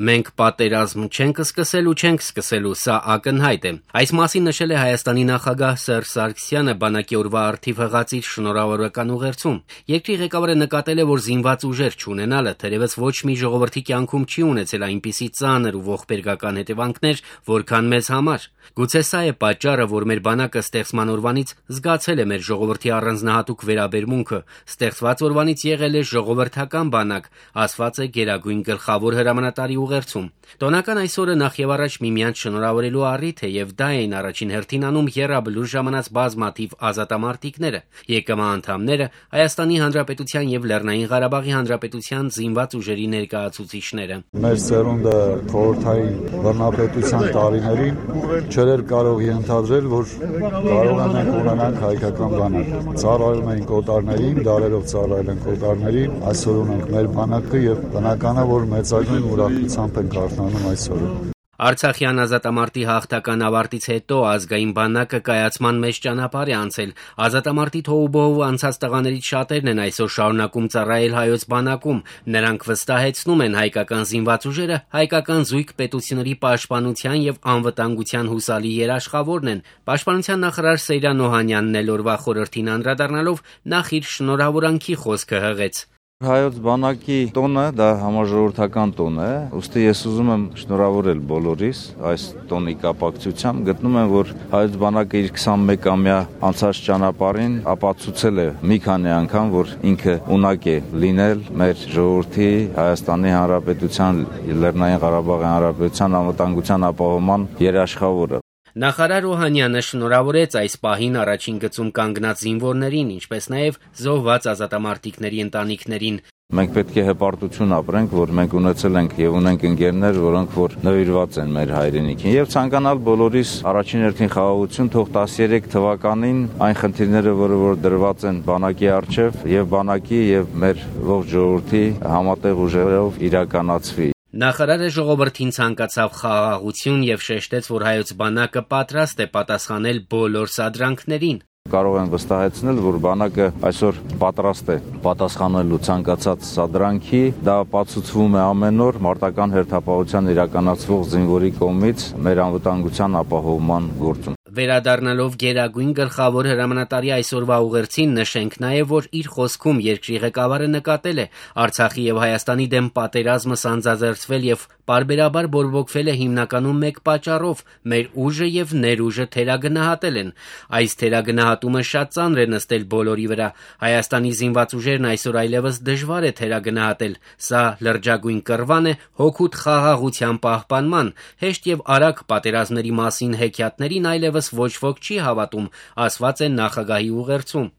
Մենք պատերազմ չենք սկսել ու չենք սկսելու, սա ակնհայտ է։ Այս մասին նշել է Հայաստանի նախագահ Սերժ Սարգսյանը բանակի օրվա առթիվ հղած իր շնորհավորական ուղերձում։ Երկրի ղեկավարը նկատել է, որ զինված ուժեր չունենալը թերևս ոչ մի ժողովրդի կյանքում չի ունեցել այնպիսի ծանր ու ողբերգական հետևանքներ, որքան մեզ համար։ Գուցե սա է պատճառը, որ մեր բանակը ստեղծման օրվանից զգացել է մեր ժողովրդի առանձնահատուկ վերաբերմունքը, ստեղծված օրվանից եղել է ժողովրդական բանակ, ասված է Գերագույն գլխավոր հրամանատարի ուղերձում։ Տոնական այսօրը նախ եւ առաջ միմյանց շնորհավորելու առիթ է եւ դա էին առաջին հերթին անում եռաբլուր ժամանած բազմաթիվ ազատամարտիկները, ԵԿՄ անդամները, Հայաստանի Հանրապետության եւ Լեռնային Ղարաբաղի Հանրապետության զինված ուժերի ներկայացուցիչները։ Մեր սերունդը խորհրդային բռնապետության տարիներին չէր կարող ենթադրել, որ կարող ենք ունենանք հայկական բանակ։ Ծառայում էին օտարներին, դարերով ծառայել են օտարներին, այսօր ունենք մեր բանակը եւ բնական է, որ մեծագույն ուրախությամբ ենք արթնանում այսօրը։ Արցախյան ազատամարտի հաղթական ավարտից հետո ազգային բանակը կայացման մեջ ճանապարհ է անցել։ Ազատամարտի թոհուբոհով անցած տղաներից շատերն են այսօր շարունակում ծառայել հայոց բանակում։ Նրանք վստահեցնում են հայկական զինված ուժերը հայկական զույգ պետությունների պաշտպանության եւ անվտանգության հուսալի երաշխավորն են։ Պաշտպանության նախարար Սեյրան Օհանյանն էլ օրվա խորհրդին անդրադառնալով նախ իր շնորհավորանքի խոսքը հղեց։ Հայոց բանակի տոնը դա համաժողովրդական տոն է, ուստի ես ուզում եմ շնորհավորել բոլորիս այս տոնի կապակցությամբ, գտնում եմ, որ հայոց բանակը իր 21-ամյա անցած ճանապարհին ապացուցել է մի քանի անգամ, որ ինքը ունակ է լինել մեր ժողովրդի, Հայաստանի Հանրապետության, Լեռնային Ղարաբաղի Հանրապետության անվտանգության ապահովման երաշխավորը։ Նախարար Օհանյանը շնորհավորեց այս պահին առաջին գծում կանգնած զինվորներին, ինչպես նաև զոհված ազատամարտիկների ընտանիքներին։ Մենք պետք է հպարտություն ապրենք, որ մենք ունեցել ենք եւ ունենք ընկերներ, որոնք որ նվիրված են մեր հայրենիքին եւ ցանկանալ բոլորիս առաջին հերթին խաղաղություն, թող 13 թվականին այն խնդիրները, որ դրված են բանակի առջև եւ բանակի եւ մեր ողջ ժողովրդի համատեղ ուժերով իրականացվի։ Նախարարը ժողովրդին ցանկացավ խաղաղություն եւ շեշտեց, որ հայոց բանակը պատրաստ է պատասխանել բոլոր սադրանքներին։ Կարող եմ վստահեցնել, որ բանակը այսօր պատրաստ է պատասխանելու ցանկացած սադրանքի, դա ապացուցվում է ամեն օր մարտական հերթապահության իրականացվող զինվորի կողմից մեր անվտանգության ապահովման գործում։ Վերադառնալով Գերագույն գլխավոր հրամանատարի այսօրվա ուղերձին նշենք նաև, որ իր խոսքում երկրի ղեկավարը նկատել է Արցախի եւ Հայաստանի դեմ պատերազմը սանձազերծվել եւ պարբերաբար բորբոքվել է հիմնականում մեկ պատճառով՝ մեր ուժը եւ ներուժը թերագնահատել են։ Այս թերագնահատումը շատ ծանր է նստել բոլորի վրա։ Հայաստանի զինված ուժերն այսօր այլևս դժվար է թերագնահատել։ Սա լրջագույն կռվան է հօգուտ խաղաղության պահպանման, հեշտ եւ արագ պատերազմների մասին հեքիաթներին այլևս ոչ ոք չի հավատում, ասված է նախագահի ուղերձում։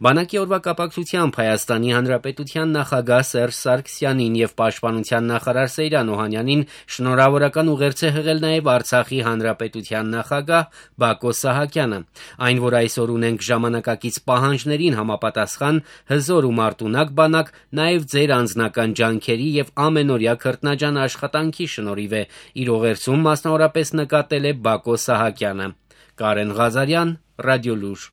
Բանակի օրվա կապակցությամբ Հայաստանի Հանրապետության նախագահ Սերժ Սարգսյանին եւ պաշտպանության նախարար Սեյրան Օհանյանին շնորհավորական ուղերձ է հղել նաեւ Արցախի Հանրապետության նախագահ Բակո Սահակյանը։ Այն, որ այսօր ունենք ժամանակակից պահանջներին համապատասխան հզոր ու մարտունակ բանակ, նաեւ ձեր անձնական ջանքերի եւ ամենօրյա քրտնաջան աշխատանքի շնորհիվ է, իր ուղերձում մասնավորապես նկատել է Բակո Սահակյանը։ Կարեն Ղազարյան, Ռադիոլուր։